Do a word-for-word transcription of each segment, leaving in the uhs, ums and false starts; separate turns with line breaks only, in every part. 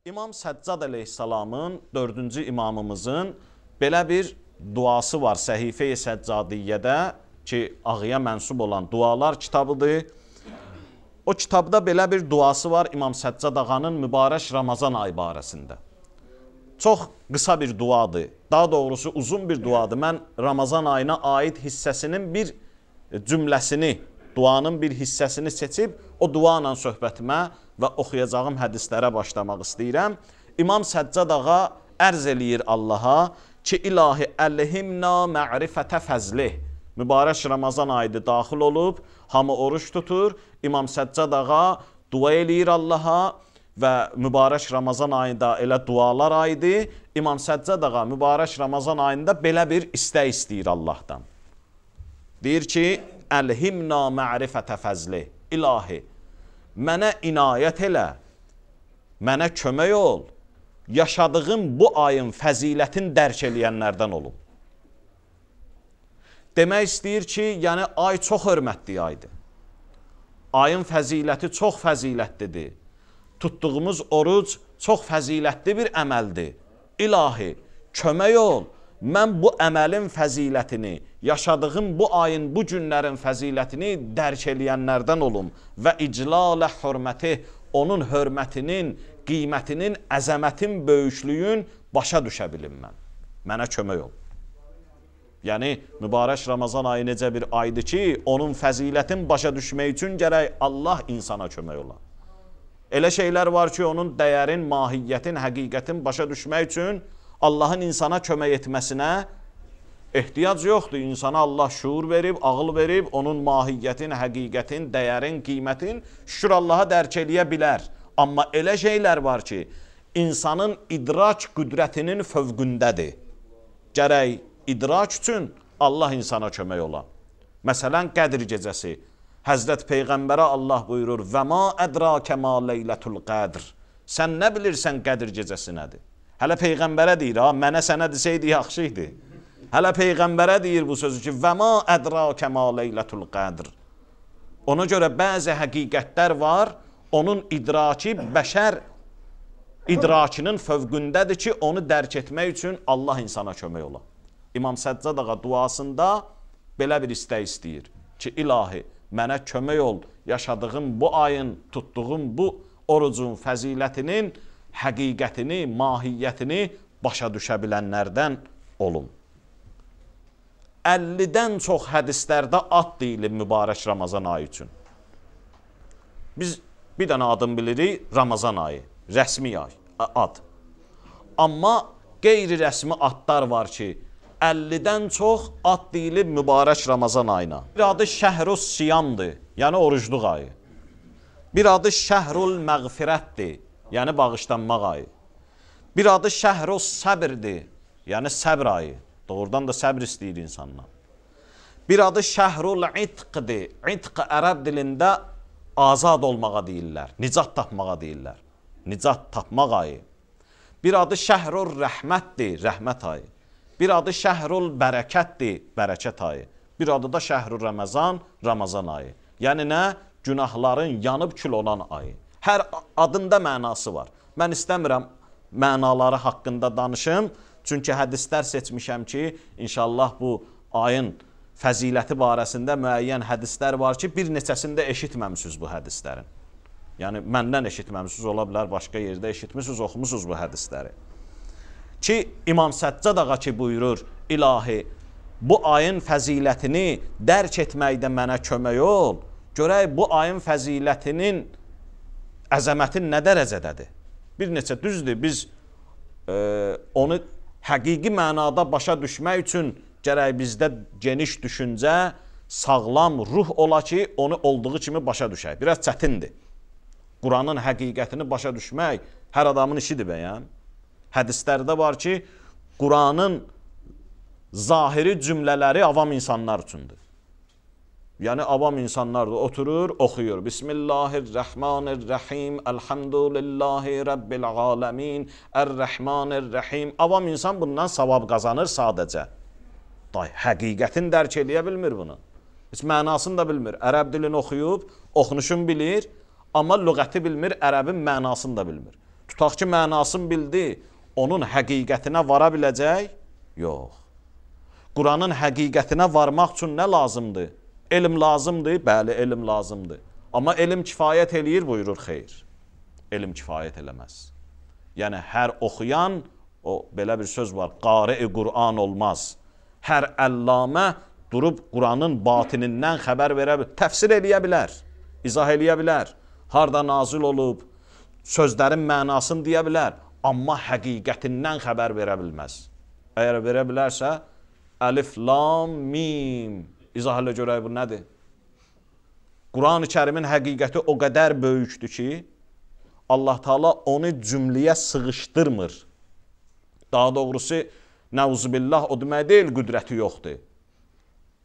İmam Səccad əleyhissalamın, dördüncü imamımızın belə bir duası var Səhifə-i Səccadiyyədə ki, ağıya mənsub olan dualar kitabıdır. O kitabda belə bir duası var İmam Səccad ağanın mübarək Ramazan ayı barəsində. Çox qısa bir duadır, daha doğrusu uzun bir duadır. Mən Ramazan ayına aid hissəsinin bir cümləsini, duanın bir hissəsini seçib o dua ilə söhbətimə və oxuyacağım hədislərə başlamaq istəyirəm. İmam Səccad ağa ərz eləyir Allaha ki, ilahi əlhimna ma'rifətə fəzlih. Mübarək Ramazan ayıdır daxil olub, hamı oruç tutur. İmam Səccad ağa dua eləyir Allaha və mübarək Ramazan ayında elə dualar ayıdır. İmam Səccad ağa mübarək Ramazan ayında belə bir istək istəyir Allahdan. Deyir ki, əlhimna ma'rifətə fəzlih. İlahi, mənə inayət elə, mənə kömək ol, yaşadığım bu ayın fəzilətin dərk eləyənlərdən olum. Demək istəyir ki, yəni ay çox hörmətli aydır. Ayın fəziləti çox fəzilətlidir. Tutduğumuz oruc çox fəzilətli bir əməldir. İlahi, kömək ol, mən bu əməlin fəzilətini, yaşadığım bu ayın, bu günlərin fəzilətini dərk eləyənlərdən olum və iclalə hörməti, onun hörmətinin, qiymətinin, əzəmətin, böyüklüyün başa düşə bilim mən. Mənə kömək ol. Yəni, mübarək Ramazan ayı necə bir aydır ki, onun fəzilətin başa düşmək üçün gərək Allah insana kömək ola. Elə şeylər var ki, onun dəyərin, mahiyyətin, həqiqətin başa düşmək üçün Allahın insana kömək etməsinə ehtiyac yoxdur. İnsana Allah şuur verib, ağıl verib, onun mahiyyətin, həqiqətin, dəyərin, qiymətin şükür Allaha dərk eləyə bilər. Amma elə şeylər var ki, insanın idrak qüdrətinin fövqündədir. Gərək idrak üçün Allah insana kömək ola. Məsələn, Qədr gecəsi. Həzrət Peyğəmbərə Allah buyurur, və ma ədrakə ma leylətul qədr. Sən nə bilirsən Qədr gecəsi nədir? Hələ Peyğəmbərə deyir, ha, mənə sənə desəydi yaxşı idi. Hələ Peyğəmbərə deyir bu sözü ki, və ma ədrakə ma leylətul qədr. Ona görə bəzi həqiqətlər var, onun idraki bəşər idrakinin fövqündədir ki, onu dərk etmək üçün Allah insana kömək ola. İmam Səccad ağa duasında belə bir istək istəyir ki, ilahi, mənə kömək ol, yaşadığım bu ayın, tutduğum bu orucun fəzilətinin həqiqətini, mahiyyətini başa düşə bilənlərdən olum. əllidən çox hədislərdə ad deyilir mübarək Ramazan ayı üçün. Biz bir dənə adını bilirik, Ramazan ayı, rəsmi ay, ad. Amma qeyri-rəsmi adlar var ki, əllidən çox ad deyilir mübarək Ramazan ayına. Bir adı Şəhrus Siyamdır, yəni orucluq ayı. Bir adı Şəhrul Məğfirətdir, yəni bağışlanmaq ayı. Bir adı Şəhrus Səbirdir, yəni səbr ayı. Doğrudan da səbr istəyir insanlar. Bir adı Şəhrul İtqdir. İtq ərəb dilində azad olmağa deyirlər, nicat tapmağa deyirlər. Nicat tapmaq ayı. Bir adı Şəhrul Rəhmətdir, rəhmət ayı. Bir adı Şəhrul Bərəkətdir, bərəkət ayı. Bir adı da Şəhrul Ramazan, Ramazan ayı. Yəni nə? Günahların yanıb kül olan ayı. Hər adında mənası var. Mən istəmirəm mənaları haqqında danışım. Çünki hədislər seçmişəm ki, inşallah bu ayın fəziləti barəsində müəyyən hədislər var ki, bir neçəsində eşitməmişsiniz bu hədislərin. Yəni, məndən eşitməmişsiniz, ola bilər, başqa yerdə eşitmişsiniz, oxumusunuz bu hədisləri. Ki, İmam Səccad ağa ki buyurur, ilahi, bu ayın fəzilətini dərk etməkdə mənə kömək ol, görək bu ayın fəzilətinin əzəmətin nə dərəcədədir? Bir neçə düzdür, biz e, onu həqiqi mənada başa düşmək üçün gərək bizdə geniş düşüncə, sağlam ruh ola ki, onu olduğu kimi başa düşək. Biraz çətindir. Quranın həqiqətini başa düşmək hər adamın işidir bəyəm. Hədislərdə var ki, Quranın zahiri cümlələri avam insanlar üçündür. Yəni, avam insanlar da oturur, oxuyur. Bismillahirrahmanirrahim, elhamdülillahi rabbil aləmin, ər-rəhmanirrahim. Avam insan bundan savab qazanır sadəcə. Day, həqiqətin dərk eləyə bilmir bunu. Heç mənasını da bilmir. Ərəb dilini oxuyub, oxunuşunu bilir, amma lüğəti bilmir, ərəbin mənasını da bilmir. Tutaq ki, mənasını bildi, onun həqiqətinə vara biləcək? Yox. Quranın həqiqətinə varmaq üçün nə lazımdır? Elm lazımdır? Bəli, elm lazımdır. Amma elm kifayət eləyir, buyurur, xeyr. Elm kifayət eləməz. Yəni, hər oxuyan, o belə bir söz var, qari-i Qur'an olmaz. Hər əllamə durub Quranın batinindən xəbər verə bilər, təfsir eləyə bilər, izah eləyə bilər, harada nazil olub, sözlərin mənasını deyə bilər, amma həqiqətindən xəbər verə bilməz. Əgər verə bilərsə, əlif, lam, mim, izah elə görək bu nədir? Quran-ı Kərimin həqiqəti o qədər böyükdür ki, Allah Teala onu cümləyə sığışdırmır. Daha doğrusu, nəuzubillah o demək deyil, qüdrəti yoxdur.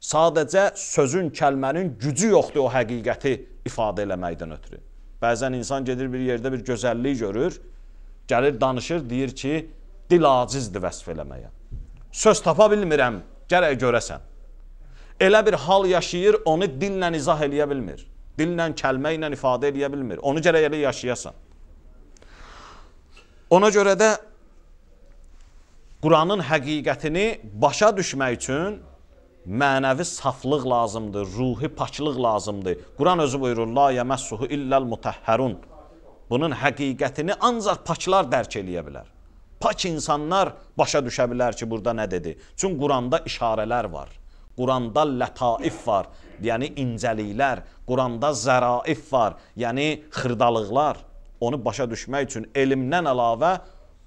Sadəcə sözün, kəlmənin gücü yoxdur o həqiqəti ifadə eləməkdən ötürü. Bəzən insan gedir bir yerdə bir gözəllik görür, gəlir danışır, deyir ki, dil acizdir vəsf eləməyə. Söz tapa bilmirəm, gərək görəsən. Elə bir hal yaşayır, onu dillə izah eləyə bilmir. Dillə, kəlmə ilə ifadə eləyə bilmir. Onu gərək elə yaşayasan. Ona görə də Quranın həqiqətini başa düşmək üçün mənəvi saflıq lazımdır, ruhi paçlıq lazımdır. Quran özü buyurur, la yəməssuhu illəl mutəhhərun. Bunun həqiqətini ancaq paçlar dərk eləyə bilər. Pak insanlar başa düşə bilər ki, burada nə dedi? Çünki Quranda işarələr var. Quranda lətaif var, yəni incəliklər. Quranda zəraif var, yəni xırdalıqlar. Onu başa düşmək üçün elmdən əlavə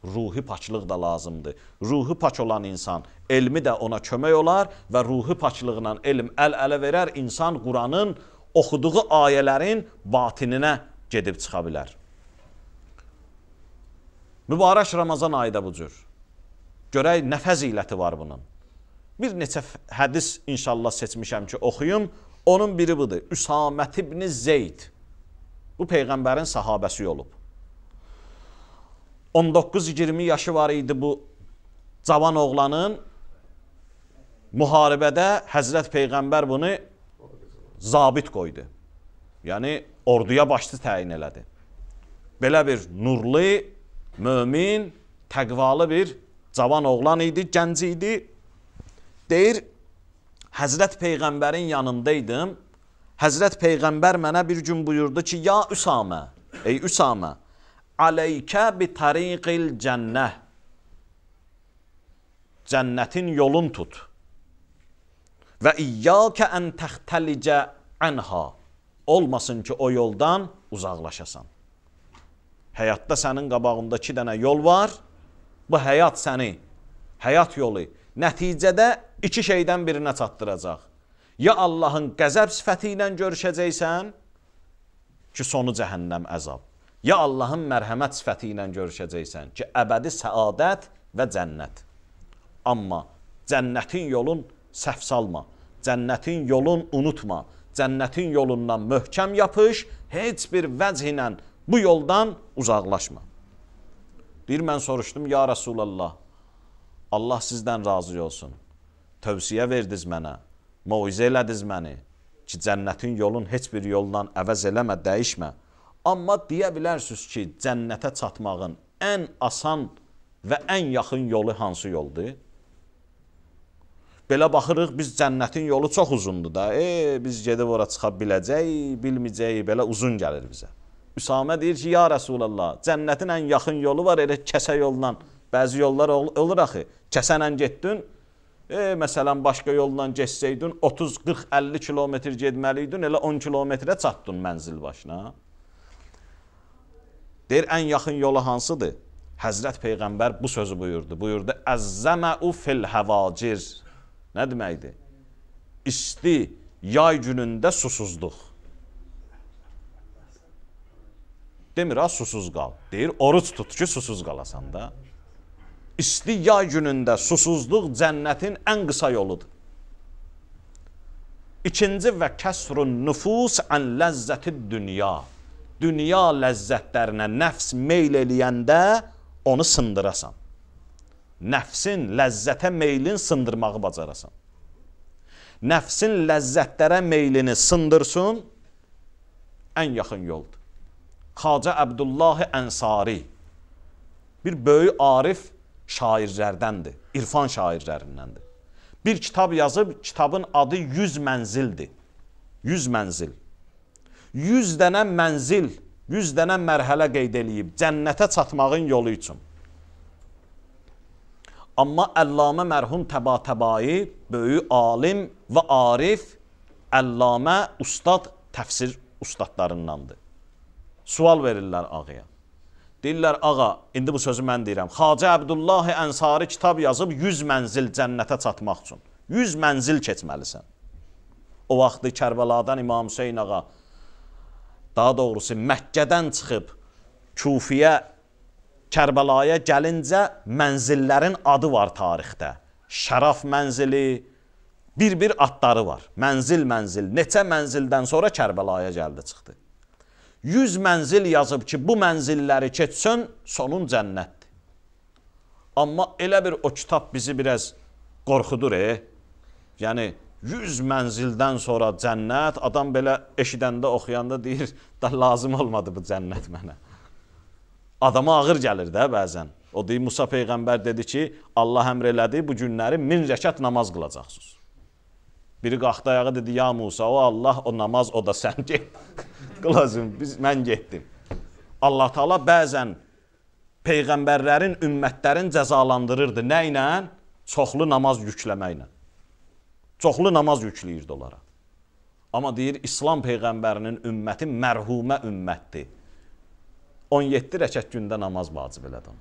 ruhi paçlıq da lazımdır. Ruhi paç olan insan, elmi də ona kömək olar və ruhi paçlığla elm əl-ələ verər, insan Quranın oxuduğu ayələrin batininə gedib çıxa bilər. Mübarək Ramazan ayı da bu cür. Görək, nə fəziləti var bunun. Bir neçə hədis inşallah seçmişəm ki, oxuyum. Onun biri budur. Üsamət ibn Zeyd. Bu Peyğəmbərin sahabəsi olub. on doqquz iyirmi yaşı var idi bu cavan oğlanın. Müharibədə Həzrət Peyğəmbər bunu zabit qoydu. Yəni, orduya başçı təyin elədi. Belə bir nurlu, mömin, təqvalı bir cavan oğlan idi, gənc idi. Deyir, Həzrət Peyğəmbərin yanındaydım. Həzrət Peyğəmbər mənə bir gün buyurdu ki, ya Üsamə, ey Üsamə, aleykə bi tariqil cənnəh. Cənnətin yolun tut. Və iyyəkə ən təxtəlicə ənha. Olmasın ki, o yoldan uzaqlaşasan. Həyatda sənin qabağında iki dənə yol var. Bu həyat səni, həyat yolu nəticədə iki şeydən birinə çatdıracaq. Ya Allahın qəzəb sifəti ilə görüşəcəksən ki, sonu cəhənnəm əzab. Ya Allahın mərhəmət sifəti ilə görüşəcəksən ki, əbədi səadət və cənnət. Amma cənnətin yolun səhv salma, cənnətin yolun unutma, cənnətin yolundan möhkəm yapış, heç bir vəch ilə bu yoldan uzaqlaşma. Deyir, mən soruşdum, ya Rasulallah, Allah sizdən razı olsun. Tövsiyə verdiniz mənə, moizə elədiniz məni ki, cənnətin yolun heç bir yoldan əvəz eləmə, dəyişmə. Amma deyə bilərsiniz ki, cənnətə çatmağın ən asan və ən yaxın yolu hansı yoldur? Belə baxırıq, biz cənnətin yolu çox uzundur da. E, biz gedib ora çıxa biləcəyik, bilməyəcəyik, belə uzun gəlir bizə. Üsamə deyir ki, ya Rasulallah, cənnətin ən yaxın yolu var, elə kəsə yolla. Bəzi yollar olur axı, kəsənlə getdin, e, məsələn, başqa yolla geçsəydin, otuz, qırx, əlli kilometr gedməliydin, elə on kilometrə çatdın mənzil başına. Deyir, ən yaxın yolu hansıdır? Həzrət Peyğəmbər bu sözü buyurdu. Buyurdu, əzzəməu fil həvacir. Nə deməkdir? İsti, yay günündə susuzluq. Demir, ha, susuz qal. Deyir, oruç tut ki, susuz qalasan da. İsti yay günündə susuzluq cənnətin ən qısa yoludur. İkinci və kəsrun nüfus ən ləzzəti dünya. Dünya ləzzətlərinə nəfs meyl eləyəndə onu sındırasan. Nəfsin ləzzətə meylin sındırmağı bacarasan. Nəfsin ləzzətlərə meylini sındırsın, ən yaxın yoldur. Xacə Əbdullahi Ənsari bir böyük arif şairlərdəndir, irfan şairlərindəndir. Bir kitab yazıb, kitabın adı yüz mənzildir. yüz mənzil. yüz dənə mənzil, yüz dənə mərhələ qeyd eləyib cənnətə çatmağın yolu üçün. Amma Əllamə mərhum Təbatəbai, böyük alim və arif, Əllamə ustad, təfsir ustadlarındandır. Sual verirlər ağaya. Deyirlər, ağa, indi bu sözü mən deyirəm. Xacə Əbdullahi Ənsari kitab yazıb yüz mənzil cənnətə çatmaq üçün. yüz mənzil keçməlisən. O vaxtı Kərbəladan İmam Hüseyin ağa, daha doğrusu Məkkədən çıxıb Kufiyə, Kərbəlaya gəlincə mənzillərin adı var tarixdə. Şəraf mənzili, bir-bir adları var. Mənzil, mənzil. Neçə mənzildən sonra Kərbəlaya gəldi, çıxdı. yüz mənzil yazıb ki, bu mənzilləri keçsin, sonun cənnətdir. Amma elə bir o kitab bizi biraz qorxudur, e? Yəni, yüz mənzildən sonra cənnət, adam belə eşidəndə, oxuyanda deyir, da lazım olmadı bu cənnət mənə. Adama ağır gəlir də bəzən. O deyir, Musa Peyğəmbər dedi ki, Allah əmr elədi, bu günləri min rəkat namaz qılacaqsınız. Biri qalxdı ayağa dedi, ya Musa, o Allah, o namaz, o da sən get. Qılacım, biz, mən getdim. Allah Taala bəzən Peyğəmbərlərin, ümmətlərin cəzalandırırdı. Nə ilə? Çoxlu namaz yükləməklə. Çoxlu namaz yükləyirdi onlara. Amma deyir, İslam Peyğəmbərinin ümməti mərhumə ümmətdir. on yeddi rəkat gündə namaz vacib elədim.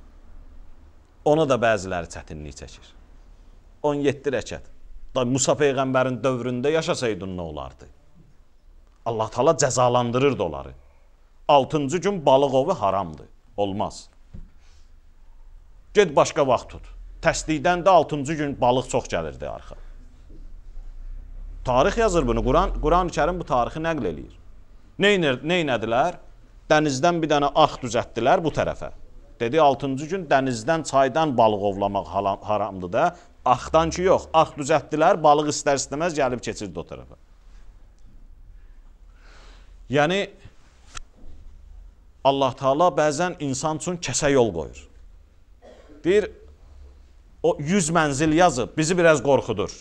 Ona da bəziləri çətinlik çəkir. on yeddi rəkat. Da Musa Peyğəmbərin dövründə yaşasaydın nə olardı? Allah Taala cəzalandırırdı onları. altıncı gün balıq ovu haramdır. Olmaz. Get başqa vaxt tut. Təsdiqdən də altıncı gün balıq çox gəlirdi arxa. Tarix yazır bunu. Quran, Quran-ı Kərim bu tarixi nəql eləyir. Neynədilər? Dənizdən bir dənə arx düzəltdilər bu tərəfə. Dedi, altıncı gün dənizdən, çaydan balıq ovlamaq haramdır da. Arxdan ki, yox. Arx düzəltdilər, balıq istər-istəməz gəlib keçirdi o tərəfə. Yəni, Allah Taala bəzən insan üçün kəsə yol qoyur. Deyir, o yüz mənzil yazıb, bizi biraz qorxudur.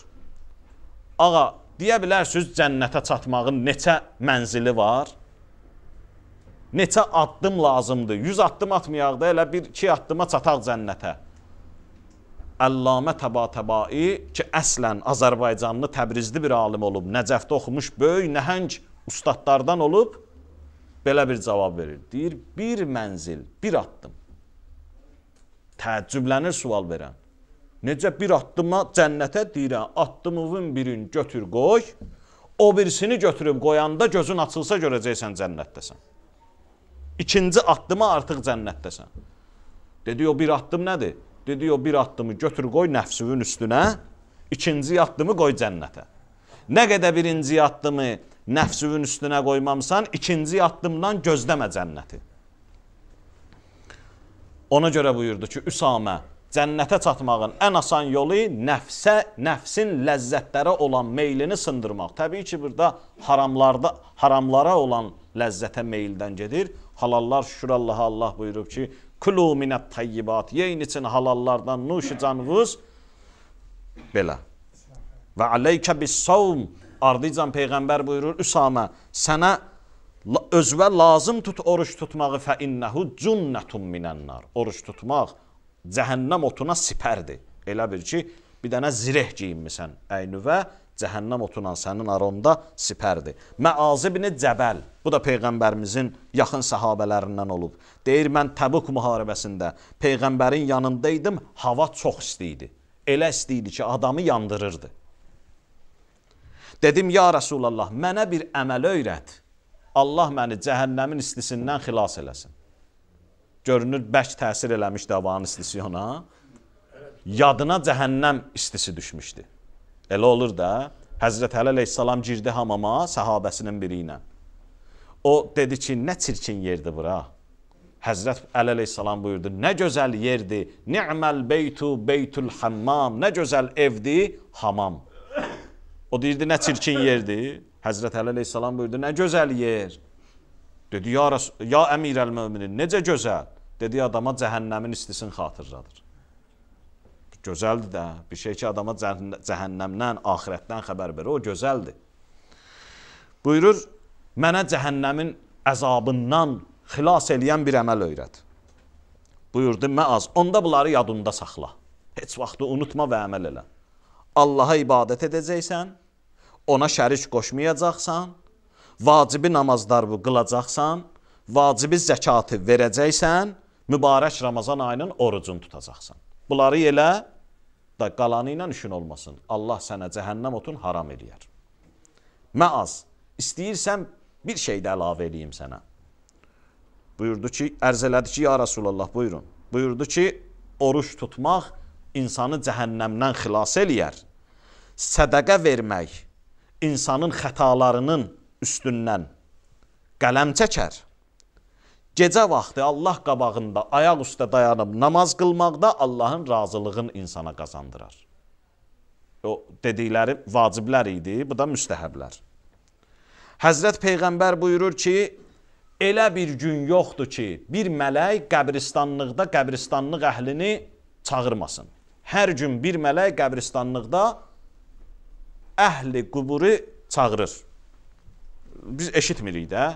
Ağa, deyə bilərsiniz cənnətə çatmağın neçə mənzili var? Neçə addım lazımdır? yüz addım atmayaq da, elə bir iki addıma çataq cənnətə. Əllamə Təbatəbai ki, əslən Azərbaycanlı, Təbrizli bir alim olub, Nəcəfdə oxumuş, böyük, nəhəng ustadlardan olub, belə bir cavab verir. Deyir, bir mənzil, bir addım. Təəccüblənir sual verən. Necə bir addıma cənnətə deyirəm, addımının birini götür qoy, o birisini götürüb qoyanda gözün açılsa görəcəksən cənnətdəsən. İkinci addıma artıq cənnətdəsən. Dedi, o bir addım nədir? Dedi, o bir addımı götür qoy nəfsünün üstünə, ikinci addımı qoy cənnətə. Nə qədər birinci addımı nəfsünün üstünə qoymamsan, ikinci addımdan gözləmə cənnəti. Ona görə buyurdu ki, Üsamə, cənnətə çatmağın ən asan yolu nəfsə, nəfsin ləzzətlərə olan meylini sındırmaq. Təbii ki, burada haramlarda, haramlara olan ləzzətə meyldən gedir. Halallar, şükür Allaha, Allah buyurub ki, Kulu minət tayyibat, yeyin için halallardan nuşu canvuz, belə. Və aleykə bis-savm, ardıcan Peyğəmbər buyurur, Üsamə, sənə özvə lazım tut oruç tutmağı, fə innəhu cünnətun minənnar. Oruç tutmaq cəhənnəm otuna sipərdir. Elə bir ki, bir dənə zireh giyinmisən əynüvə, cəhənnəm otunan sənin aronda sipərdir. Məaz ibn Cəbəl, bu da Peyğəmbərimizin yaxın səhabələrindən olub. Deyir, mən Təbuk müharibəsində Peyğəmbərin yanındaydım, hava çox isti idi. Elə isti idi ki, adamı yandırırdı. Dedim, ya Rasulallah, mənə bir əməl öyrət. Allah məni cəhənnəmin istisindən xilas eləsin. Görünür, bərk təsir eləmişdi havanın istisi ona. Yadına cəhənnəm istisi düşmüşdü. Elə olur da, Həzrət Əli əleyhissalam girdi hamama səhabəsinin biri ilə. O dedi ki, nə çirkin yerdir bura. Həzrət Əli əleyhissalam buyurdu, nə gözəl yerdir, ni'məl beytu beytul hammam, nə gözəl evdir, hamam. O deyirdi, nə çirkin yerdir. Həzrət Əli əleyhissalam buyurdu, nə gözəl yer. Dedi, ya, ya əmir əl-müminin, necə gözəl? Dediyi adama cəhənnəmin istisini xatırladır. Gözəldir də, bir şey ki adama cəhənnəmdən, axirətdən xəbər verir, o gözəldir. Buyurur, mənə cəhənnəmin əzabından xilas eləyən bir əməl öyrət. Buyurdu, məaz, onda bunları yadında saxla. Heç vaxtı unutma və əməl elə. Allaha ibadət edəcəksən, ona şərik qoşmayacaqsan, vacibi namazlarını qılacaqsan, vacibi zəkatı verəcəksən, mübarək Ramazan ayının orucunu tutacaqsan. Bunları elə, da qalanı ilə işin olmasın. Allah sənə cəhənnəm otun haram eləyər. Məaz, istəyirsən bir şey də əlavə eləyim sənə. Buyurdu ki, ərz elədi ki, ya Rasulallah, buyurun. Buyurdu ki, oruç tutmaq insanı cəhənnəmdən xilas eləyər. Sədəqə vermək insanın xətalarının üstündən qələm çəkər. Gecə vaxtı Allah qabağında ayaq üstə dayanıb namaz qılmaqda Allahın razılığını insana qazandırar. O dedikləri vaciblər idi, bu da müstəhəblər. Həzrət Peyğəmbər buyurur ki, elə bir gün yoxdur ki, bir mələk qəbristanlıqda qəbristanlıq əhlini çağırmasın. Hər gün bir mələk qəbristanlıqda əhli quburu çağırır. Biz eşitmirik də.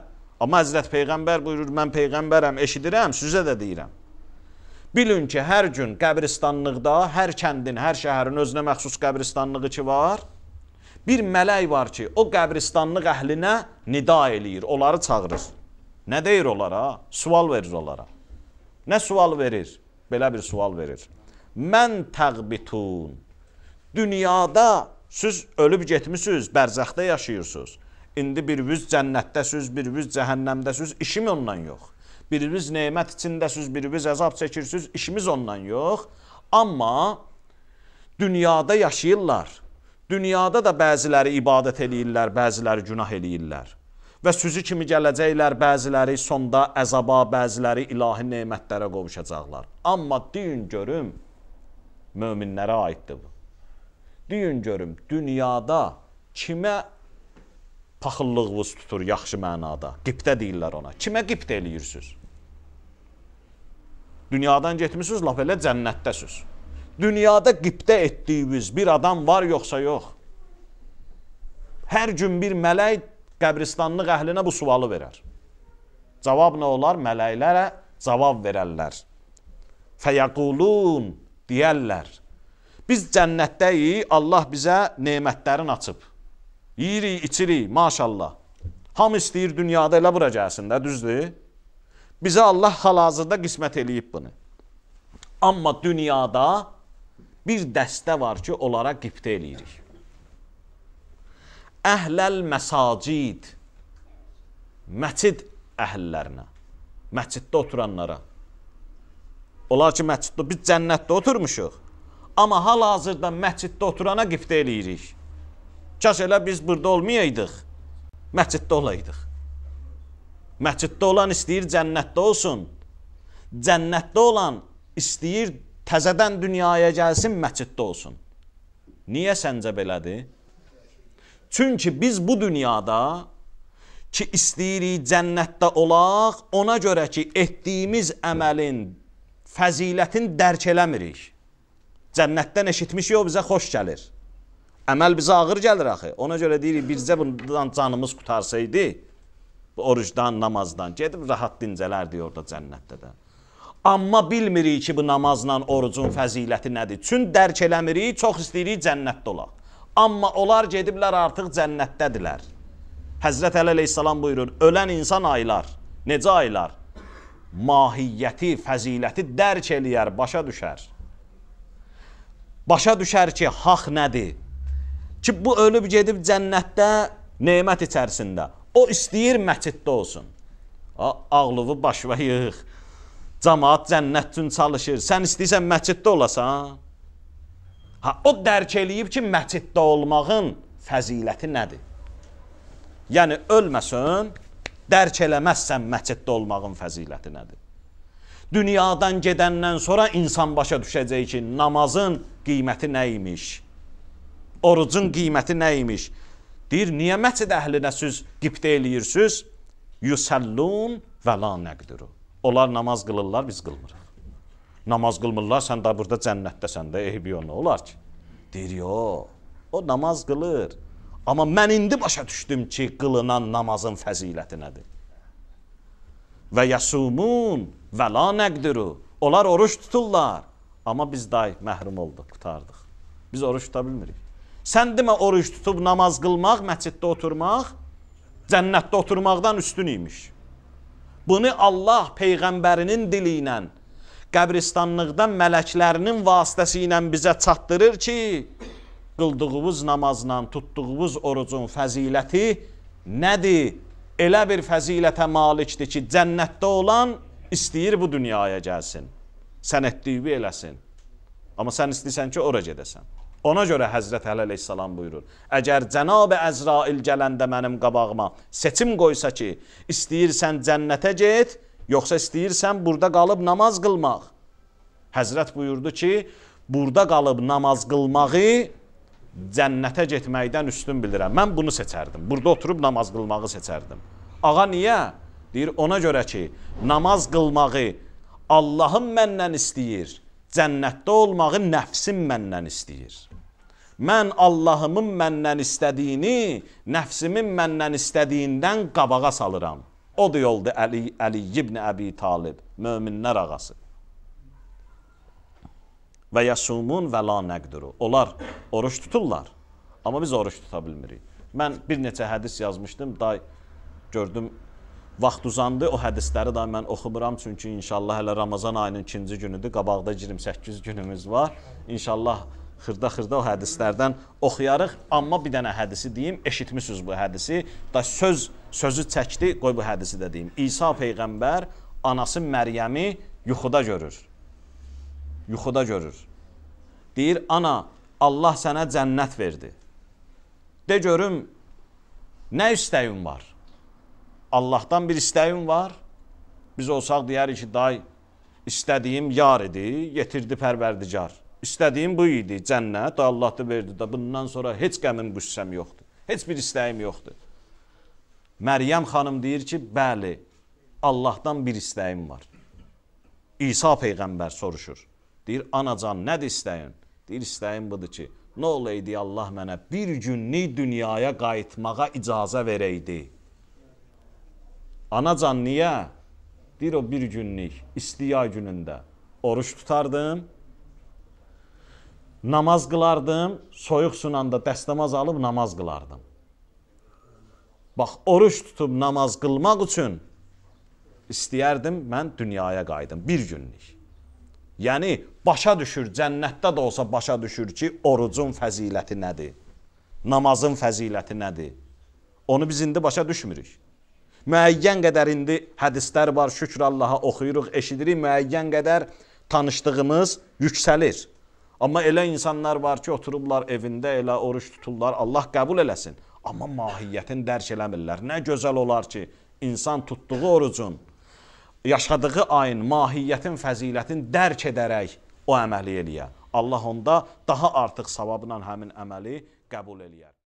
Amma Həzrət Peyğəmbər buyurur, mən Peyğəmbərəm, eşidirəm, sizə də deyirəm. Bilin ki, hər gün qəbristanlıqda, hər kəndin, hər şəhərin özünə məxsus qəbristanlığı ki var, bir mələk var ki, o qəbristanlıq əhlinə nida eləyir, onları çağırır. Nə deyir onlara? Sual verir onlara. Nə sual verir? Belə bir sual verir. Mən təqbitun. Dünyada siz ölüb getmişsiniz, bərzəxdə yaşayırsınız. İndi biriniz cənnətdəsiz, biriniz cəhənnəmdəsiz, işim ondan yox. Biriniz nemət içindəsiz, biriniz əzab çəkirsiniz, işimiz ondan yox. Amma dünyada yaşayırlar. Dünyada da bəziləri ibadət eləyirlər, bəziləri günah eləyirlər. Və sözü kimi gələcəklər, bəziləri sonda əzaba, bəziləri ilahi nemətlərə qovuşacaqlar. Amma deyin görüm, möminlərə aiddir bu. Deyin görüm, dünyada kimə paxıllığınız tutur yaxşı mənada? Qibtə deyirlər ona. Kimə qibtə eləyirsiniz? Dünyadan getmişsiniz, laf elə cənnətdəsiz. Dünyada qibtə etdiyiniz bir adam var yoxsa yox? Hər gün bir mələk qəbristanlıq əhlinə bu sualı verər. Cavab nə olar? Mələklərə cavab verərlər. Fəyəqulun deyərlər. Biz cənnətdəyik, Allah bizə nemətlərin açıb. Yiyirik, içirik, maşallah. Hamı istəyir dünyada elə bura gəlsin də, düzdür? Bizə Allah hal-hazırda qismət eləyib bunu. Amma dünyada bir dəstə var ki, onlara qibtə eləyirik. Əhləl məsacid, məsid əhəllərinə, məsciddə oturanlara. Onlar ki, məsciddə, biz cənnətdə oturmuşuq, amma hal-hazırda məsciddə oturana qibtə eləyirik. Kaş elə biz burada olmayaydıq, məsciddə olaydıq. Məsciddə olan istəyir cənnətdə olsun, cənnətdə olan istəyir təzədən dünyaya gəlsin, məsciddə olsun. Niyə səncə belədir? Çünki biz bu dünyada ki, istəyirik cənnətdə olaq, ona görə ki, etdiyimiz əməlin, fəzilətin dərk eləmirik. Cənnətdən eşitmişik, o bizə xoş gəlir. Əməl bizə ağır gəlir axı. Ona görə deyirik, bizcə bundan canımız qutarsaydı, orucdan, namazdan, gedib rahat dincələrdik orada cənnətdə də. Amma bilmirik ki, bu namazla orucun fəziləti nədir. Çün dərk eləmirik, çox istəyirik cənnətdə olaq. Amma onlar gediblər artıq cənnətdədirlər. Həzrət Əli əleyhissalam buyurur, ölən insan aylar. Necə aylar? Mahiyyəti, fəziləti dərk eləyər, başa düşər. Başa düşər ki, haq nədir? Ki, bu ölüb gedib cənnətdə, nemət içərisində. O istəyir məsciddə olsun. Ağlığı başva yığıq. Cəmaat cənnət üçün çalışır. Sən istəyirsən məsciddə olasan? Ha, o dərk eləyib ki, məsciddə olmağın fəziləti nədir? Yəni, ölməsən, dərk eləməzsən məsciddə olmağın fəziləti nədir? Dünyadan gedəndən sonra insan başa düşəcək ki, namazın qiyməti nə imiş? Orucun qiyməti nə imiş? Deyir, niyə məscid əhlinə siz qibtə eləyirsiniz? Yusəllun və la nəqdiru. Onlar namaz qılırlar, biz qılmırıq. Namaz qılmırlar, sən də burada cənnətdəsən də, eybi yox, nə olar ki? Deyir, yox, o namaz qılır. Amma mən indi başa düşdüm ki, qılınan namazın fəziləti nədir? Və yəsumun və la nəqdiru. Onlar oruç tuturlar. Amma biz day məhrum olduq, qutardıq. Biz oruç tuta bilmirik. Sən demə oruç tutub namaz qılmaq, məsciddə oturmaq, cənnətdə oturmaqdan üstün imiş. Bunu Allah Peyğəmbərinin dili ilə, qəbristanlıqdan mələklərinin vasitəsi ilə bizə çatdırır ki, qıldığımız namazla, tutduğumuz orucun fəziləti nədir? Elə bir fəzilətə malikdir ki, cənnətdə olan istəyir bu dünyaya gəlsin. Sən etdiyi eləsin. Amma sən istəyirsən ki, ora gedəsən. Ona görə Həzrət Əli əleyhissalam buyurur, əgər Cənab-ı Əzrail gələndə mənim qabağıma seçim qoysa ki, istəyirsən cənnətə get, yoxsa istəyirsən burada qalıb namaz qılmaq. Həzrət buyurdu ki, burada qalıb namaz qılmağı cənnətə getməkdən üstün bilirəm. Mən bunu seçərdim. Burada oturub namaz qılmağı seçərdim. Ağa, niyə? Deyir, ona görə ki, namaz qılmağı Allahın məndən istəyir, cənnətdə olmağı nəfsim məndən istəyir. Mən Allahımın məndən istədiyini, nəfsimin məndən istədiyindən qabağa salıram. O da yoldu Əli, Əli ibn Əbi Talib, möminlər ağası. Və yəsumun və la nəqdiru. Onlar oruç tuturlar, amma biz oruç tuta bilmirik. Mən bir neçə hədis yazmışdım, day gördüm, vaxt uzandı, o hədisləri da mən oxumuram, çünki inşallah hələ Ramazan ayının ikinci günüdür, qabaqda iyirmi səkkiz günümüz var. İnşallah xırda-xırda o hədislərdən oxuyarıq, amma bir dənə hədisi deyim, eşitmişsiniz bu hədisi, da söz, sözü çəkdi, qoy bu hədisi də deyim. İsa Peyğəmbər anası Məryəmi yuxuda görür. Yuxuda görür. Deyir, ana, Allah sənə cənnət verdi. De görüm, nə istəyin var? Allahdan bir istəyim var. Biz olsaq deyərik ki, day, istədiyim yar idi, yetirdi pərverdigar. İstədiyim bu idi, cənnət, Allah da verdi da, bundan sonra heç qəmim, qüssəm yoxdur. Heç bir istəyim yoxdur. Məryəm xanım deyir ki, bəli, Allahdan bir istəyim var. İsa Peyğəmbər soruşur. Deyir, anacan, nədir istəyin? Deyir, istəyim budur ki, nə olaydı Allah mənə bir günlük dünyaya qayıtmağa icazə verəydi. Anacan, niyə? Deyir, o bir günlük, istiya günündə oruç tutardım, namaz qılardım, soyuq sunanda dəstəmaz alıb namaz qılardım. Bax, oruç tutub namaz qılmaq üçün istəyərdim, mən dünyaya qayıdım, bir günlük. Yəni, başa düşür, cənnətdə də olsa başa düşür ki, orucun fəziləti nədir? Namazın fəziləti nədir? Onu biz indi başa düşmürük. Müəyyən qədər indi hədislər var, şükür Allaha oxuyuruq, eşidirik, müəyyən qədər tanışdığımız yüksəlir. Amma elə insanlar var ki, oturublar evində, elə oruç tuturlar, Allah qəbul eləsin. Amma mahiyyətini dərk eləmirlər. Nə gözəl olar ki, insan tutduğu orucun, yaşadığı ayın, mahiyyətin, fəzilətini dərk edərək o əməli eləyə. Allah onda daha artıq savabla həmin əməli qəbul eləyər.